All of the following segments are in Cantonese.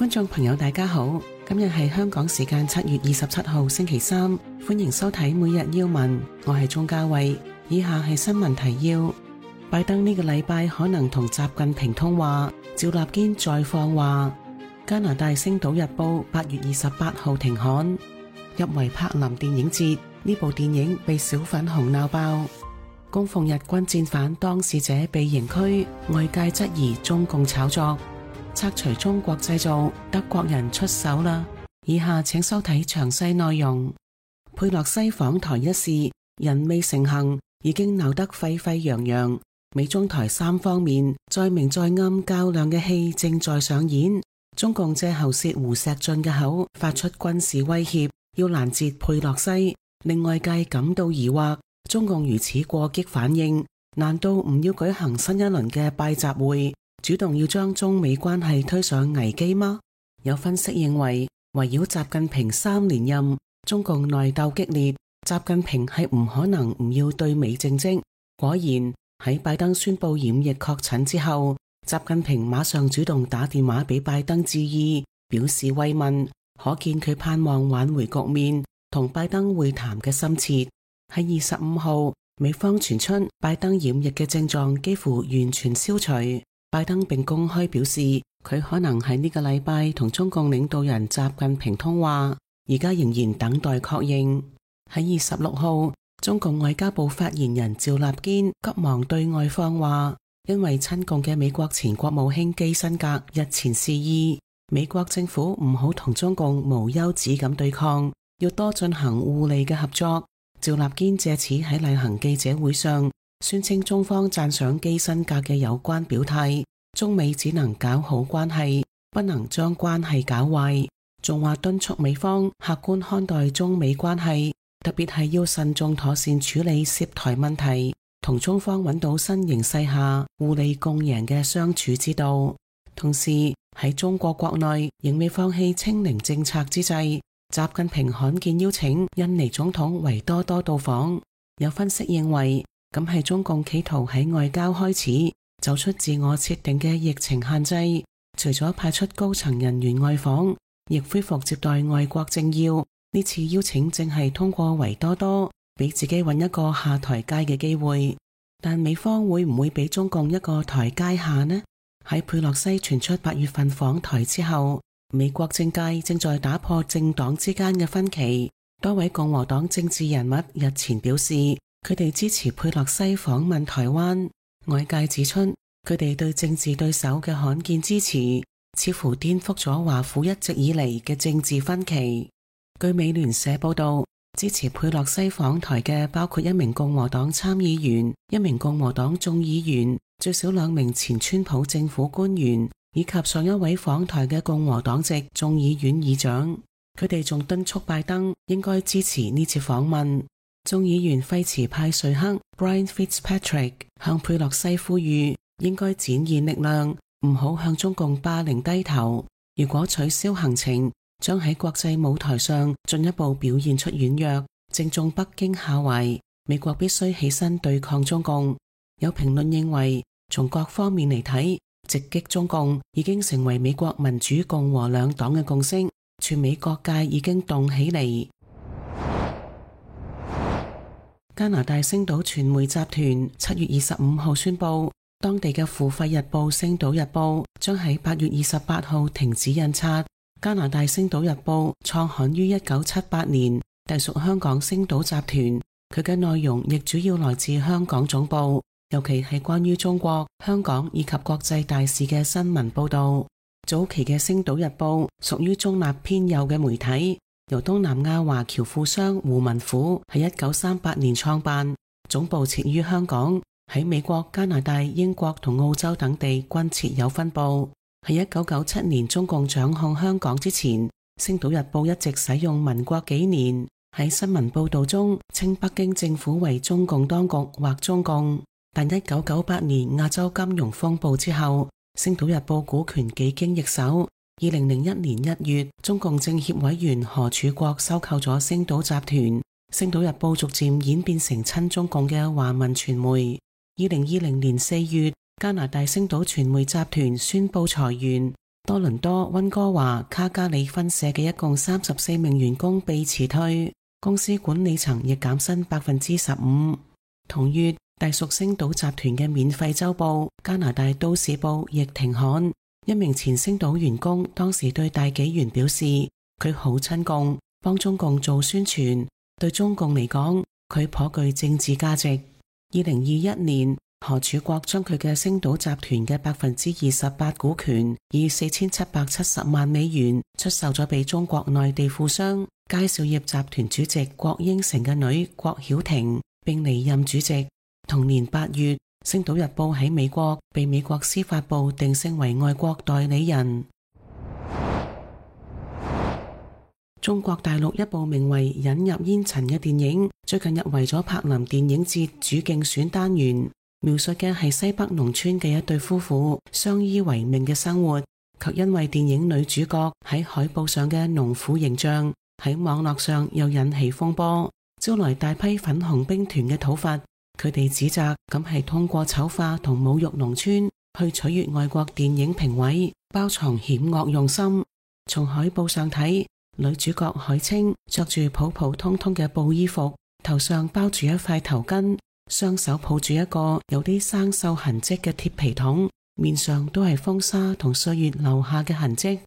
觀眾朋友大家好，今日係香港時間7月27號星期三，歡迎收睇每日要聞，我係鍾嘉慧。以下係新聞提要：拜登呢個禮拜可能同習近平通話，趙立堅再放話。加拿大星島日報8月28號停刊。入圍柏林電影節，呢部電影被小粉紅鬧爆。供奉日軍戰犯當事者被刑拘，外界質疑中共炒作。拆除中國製造，德國人出手啦！以下請收睇詳細內容。佩洛西訪台一事，人未成行，已經鬧得沸沸揚揚。美中台三方面在明在暗較量嘅戲正在上演。中共借喉舌胡錫進嘅口，發出軍事威脅，要攔截佩洛西，令外界感到疑惑。中共如此過激反應，難道唔要舉行新一輪嘅拜習會？主動要將中美關係推上危機嗎？有分析認為，圍繞習近平3連任，中共內鬥激烈，習近平係唔可能唔要對美政績。果然喺拜登宣布染疫確診之後，習近平馬上主動打電話俾拜登致意，表示慰問，可見佢盼望挽回局面，同拜登會談嘅深切。喺25號，美方傳出拜登染疫嘅症狀幾乎完全消除。拜登並公開表示，佢可能喺呢個禮拜同中共領導人習近平通話，而家仍然等待確認。喺26號，中共外交部發言人趙立堅急忙對外放話，因為親共嘅美國前國務卿基辛格日前示意，美國政府唔好同中共無休止咁對抗，要多進行互利嘅合作。趙立堅借此喺例行記者會上宣稱中方讚賞基辛格嘅有關表態，中美只能搞好關係，不能將關係搞壞，仲話敦促美方客觀看待中美關係，特別係要慎重妥善處理涉台問題，同中方揾到新形勢下互利共贏嘅相處之道。同時喺中國國內仍未放棄清零政策之際，習近平罕見邀請印尼總統維多多到訪。有分析認為，咁係中共企圖喺外交開始走出自我設定嘅疫情限制，除咗派出高層人員外訪，亦恢復接待外國政要。呢次邀請正係通過維多多俾自己揾一個下台階嘅機會，但美方會唔會俾中共一個台階下呢？喺佩洛西傳出8月份訪台之後，美國政界正在打破政黨之間嘅分歧。多位共和黨政治人物日前表示，佢哋支持佩洛西訪問台灣。外界指出，佢哋對政治對手嘅罕見支持，似乎顛覆咗華府一直以嚟嘅政治分歧。據美聯社報道，支持佩洛西訪台嘅包括1名共和黨參議員、1名共和黨眾議員、最少2名前川普政府官員，以及上一位訪台嘅共和黨籍眾議院議長。佢哋仲敦促拜登應該支持呢次訪問。眾議員廢茨派瑞克 Brian Fitzpatrick 向佩洛西呼籲，應該展現力量，唔好向中共霸凌低頭。如果取消行程，將喺國際舞台上進一步表現出軟弱，正中北京下懷。美國必須起身對抗中共。有評論認為，從各方面嚟睇，直擊中共已經成為美國民主共和兩黨嘅共識，全美各界已經動起嚟。加拿大星島傳媒集團7月25號宣布，當地嘅付費日報《星島日報》將喺8月28號停止印刷。加拿大星島日報創刊於1978年，隸屬香港星島集團，佢嘅內容亦主要來自香港總部，尤其係關於中國、香港以及國際大事嘅新聞報道。早期嘅星島日報屬於中立偏右嘅媒體，由東南亞華僑富商胡文虎喺1938年創辦，總部設於香港，喺美國、加拿大、英國同澳洲等地均設有分部。喺1997年中共掌控香港之前，星島日報一直使用民國幾年，喺新聞報道中稱北京政府為中共當局或中共。但1998年亞洲金融風暴之後，星島日報股權幾經易手。2001年1月，中共政協委員何柱國收購咗星島集團，星島日報逐漸演變成親中共嘅華文傳媒。2020年4月，加拿大星島傳媒集團宣布裁員，多倫多溫哥華卡加里分社嘅一共34名員工被辭退，公司管理層亦減薪15%。同月，隸屬星島集團嘅免費週報加拿大都市報亦停刊。一名前星島員工當時對大紀元表示，佢好親共，幫中共做宣傳，對中共嚟講，佢頗具政治價值。2021年，何柱國將佢嘅星島集團嘅28%股權以4770萬美元出售咗俾中國內地富商佳兆業集團主席郭英成嘅女郭曉婷，並離任主席。同年8月，星島日報喺美國被美國司法部定性為外國代理人。中國大陸一部名為《引入煙塵》嘅電影最近入圍咗柏林電影節主競選單元，描述嘅係西北農村嘅一對夫婦相依為命嘅生活，卻因為電影女主角喺海報上嘅農婦形象喺網絡上又引起風波，招來大批粉紅兵團嘅討伐。佢哋指責咁係通過醜化同侮辱農村去取悅外國電影評委，包藏險惡用心。從海報上睇，女主角海清着住普普通通嘅布衣服，頭上包住一塊頭巾，雙手抱住一個有啲生鏽痕跡嘅鐵皮桶，面上都係風沙同歲月留下嘅痕跡。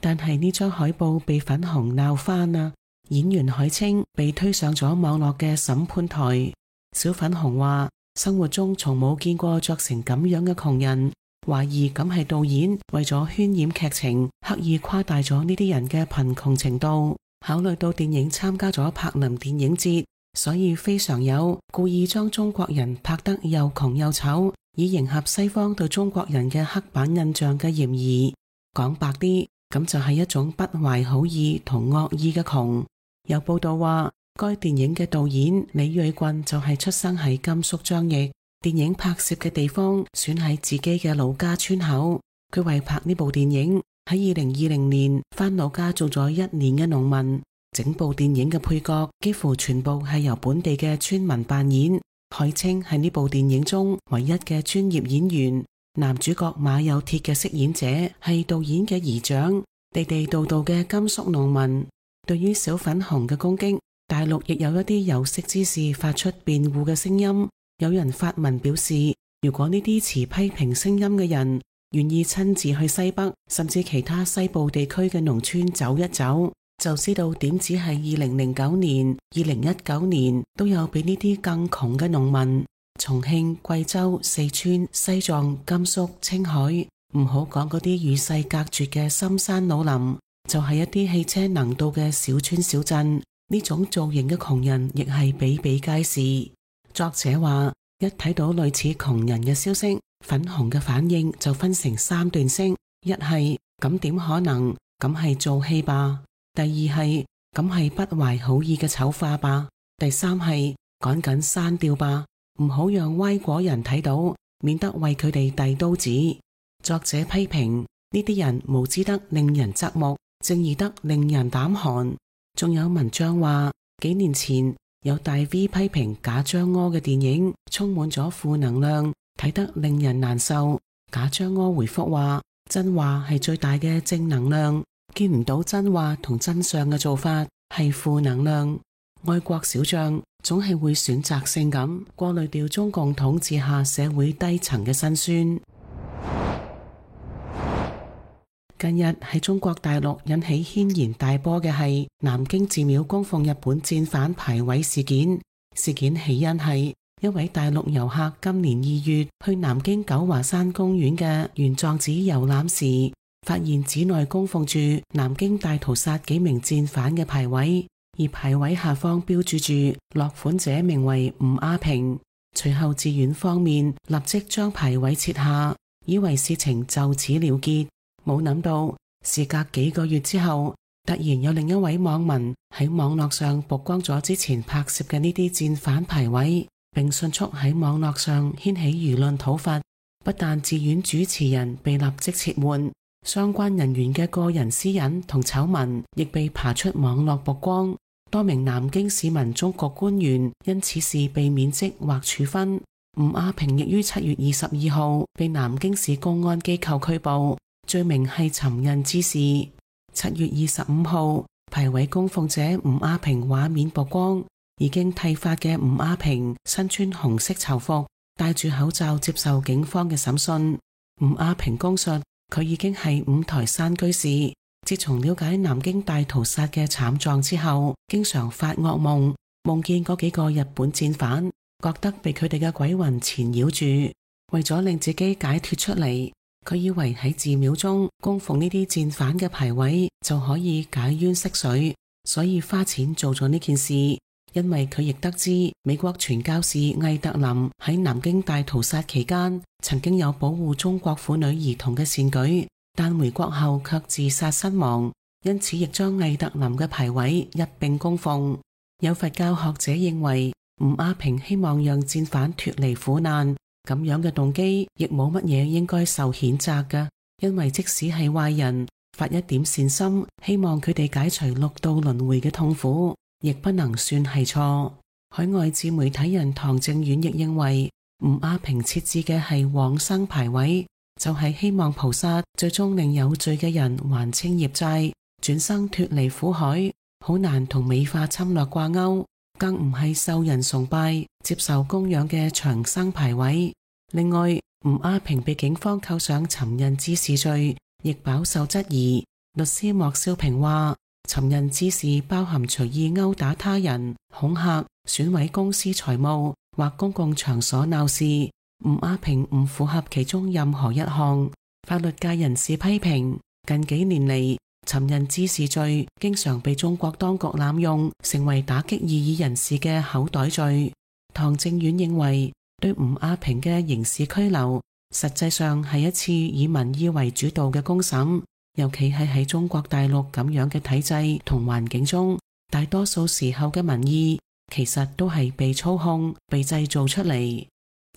但係呢張海報被粉紅鬧翻啦，演員海清被推上咗網絡嘅審判台。小粉紅話，生活中從冇見過着成咁樣嘅窮人，懷疑咁係導演為咗渲染劇情，刻意誇大咗呢啲人嘅貧窮程度。考慮到電影參加咗柏林電影節，所以非常有故意將中國人拍得又窮又醜，以迎合西方對中國人嘅刻板印象嘅嫌疑。講白啲，咁就係一種不懷好意同惡意嘅窮。有報道話，該電影嘅導演李瑞俊就係出生喺甘肅張掖，電影拍攝嘅地方選喺自己嘅老家村口。佢為拍呢部電影喺2020年返老家做咗1年嘅農民，整部電影嘅配角幾乎全部係由本地嘅村民扮演。海清係呢部電影中唯一嘅專業演員，男主角馬有鐵嘅飾演者係導演嘅姨丈，地地道道嘅甘肅農民。對於小粉紅嘅攻擊，大陸亦有一啲有識之士發出辯護嘅聲音。有人發文表示，如果呢啲持批評聲音嘅人願意親自去西北甚至其他西部地區嘅農村走一走，就知道點止係2009年、2019年都有比呢啲更窮嘅農民。重慶、貴州、四川、西藏、甘肅、青海，唔好講嗰啲與世隔絕嘅深山老林，就係一啲汽車能到嘅小村小鎮，呢種造型嘅窮人亦係比比皆是。作者話，一睇到類似窮人嘅消息，粉紅嘅反應就分成3段式：一係咁點可能，咁係做戲吧；第二係咁係不懷好意嘅醜化吧；第三係趕緊刪掉吧，唔好讓歪果人睇到，免得為佢哋遞刀子。作者批評呢啲人無知得令人側目，正義得令人膽寒。仲有文章話，幾年前有大 V 批評賈樟柯嘅電影充滿咗負能量，睇得令人難受。賈樟柯回覆話，真話係最大嘅正能量，見唔到真話同真相嘅做法係負能量。愛國小將總係會選擇性咁過濾掉中共統治下社會低層嘅辛酸。近日喺中國大陸引起軒然大波嘅係南京寺廟供奉日本戰犯牌位事件。事件起因係一位大陸遊客今年2月去南京九華山公園嘅玄奘寺遊覽時，發現寺內供奉住南京大屠殺幾名戰犯嘅牌位，而牌位下方標注住落款者名為吳亞平。隨後寺院方面立即將牌位撤下，以為事情就此了結。冇諗到，事隔幾個月之後，突然有另一位網民喺網絡上曝光咗之前拍攝嘅呢啲戰犯牌位，並迅速喺網絡上掀起輿論討伐。不但寺院主持人被立即撤換，相關人員嘅個人私隱同醜聞亦被爬出網絡曝光。多名南京市民中局官員因此事被免職或處分。吳亞平亦於7月22號被南京市公安機構拘捕。罪名係尋釁滋事。7月25號，牌位供奉者吳亞平畫面曝光，已經剃髮嘅吳亞平身穿紅色囚服，戴住口罩接受警方嘅審訊。吳亞平供述，佢已經係五台山居士，自從了解南京大屠殺嘅慘狀之後，經常發噩夢，夢見嗰幾個日本戰犯，覺得被佢哋嘅鬼魂纏繞住。為咗令自己解脫出嚟，佢以為喺寺廟中供奉呢啲戰犯嘅牌位就可以解冤釋水，所以花錢做咗呢件事。因為佢亦得知美國傳教士魏特林喺南京大屠殺期間曾經有保護中國婦女兒童嘅善舉，但回國後卻自殺身亡，因此亦將魏特林嘅牌位一併供奉。有佛教學者認為，吳亞平希望讓戰犯脫離苦難，咁樣嘅動機亦冇乜嘢應該受譴責嘅，因為即使係壞人，發一點善心，希望佢哋解除六道輪迴嘅痛苦，亦不能算係錯。海外自媒體人唐正遠亦認為，吳亞平設置嘅係往生牌位，就係希望菩薩最終令有罪嘅人還清業債，轉生脫離苦海，好難同美化侵略掛鈎，更唔係受人崇拜、接受供養嘅長生牌位。另外，吳亞平被警方扣上尋釁滋事罪，亦飽受質疑。律師莫少平話，尋釁滋事包含隨意毆打他人、恐嚇、損毀公司財務或公共場所鬧事。吳亞平唔符合其中任何一項。法律界人士批評，近幾年嚟，尋釁滋事罪經常被中國當局濫用，成為打擊異議人士嘅口袋罪。唐正遠認為，對吳亞平嘅刑事拘留，實際上係一次以民意為主導嘅公審，尤其係喺中國大陸咁樣嘅體制同環境中，大多數時候嘅民意其實都係被操控、被製造出嚟。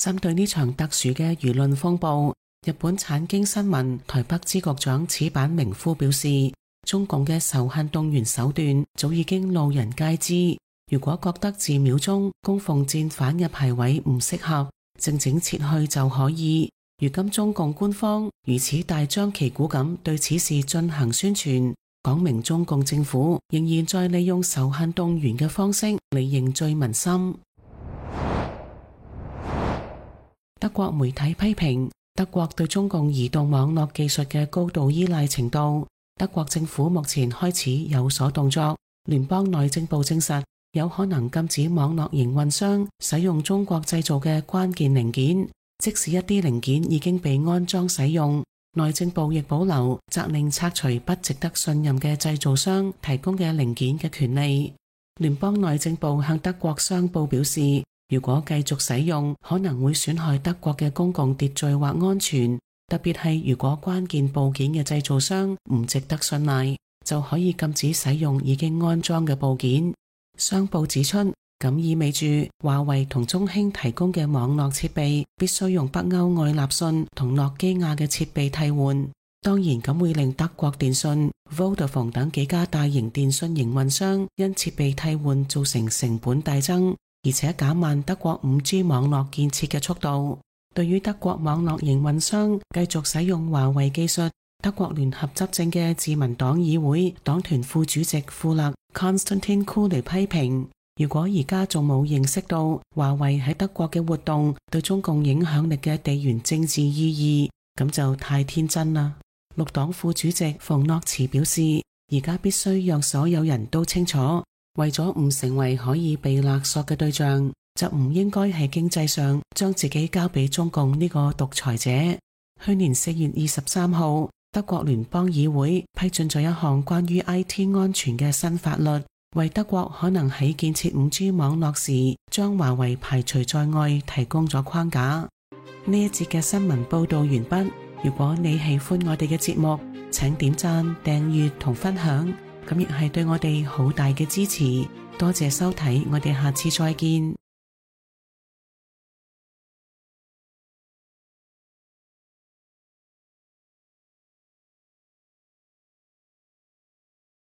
針對呢場特殊嘅輿論風暴，日本產經新聞台北支局長矢板明夫表示，中共嘅仇恨動員手段早已經路人皆知。如果覺得寺廟中供奉戰犯嘅牌位唔適合，靜靜撤去就可以。如今中共官方如此大張旗鼓咁對此事進行宣傳，講明中共政府仍然在利用仇恨動員嘅方式嚟凝聚民心。德國媒體批評德國對中共移動網絡技術嘅高度依賴程度，德國政府目前開始有所動作。聯邦內政部證實，有可能禁止網絡營運商使用中國製造嘅關鍵零件，即使一啲零件已經被安裝使用。內政部亦保留責令拆除不值得信任嘅製造商提供嘅零件嘅權利。聯邦內政部向德國商報表示，如果繼續使用，可能會損害德國嘅公共秩序或安全，特別係如果關鍵部件嘅製造商唔值得信賴，就可以禁止使用已經安裝嘅部件。商報指出，咁意味住華為同中興提供嘅網絡設備必須用北歐愛立信同諾基亞嘅設備替換。當然，咁會令德國電信、Vodafone 等幾家大型電信營運商因設備替換造成成本大增，而且減慢德國 5G 網絡建設嘅速度。對於德國網絡營運商繼續使用華為技術，德國聯合執政嘅自民黨議會黨團副主席庫勒 Konstantin Kuhle 批評，如果而家仲冇認識到華為喺德國嘅活動對中共影響力嘅地緣政治意義，咁就太天真啦。綠黨副主席馮諾茨表示，而家必須讓所有人都清楚，為咗唔成為可以被勒索嘅對象，就唔應該喺經濟上將自己交俾中共呢個獨裁者。去年4月23號，德國聯邦議會批准咗一項關於 IT 安全嘅新法律，為德國可能喺建設 5G 網絡時將華為排除在外提供咗框架。呢一節嘅新聞報道完畢。如果你喜歡我哋嘅節目，請點讚、訂閱同分享，咁亦係對我哋好大嘅支持。多謝收睇，我哋下次再見。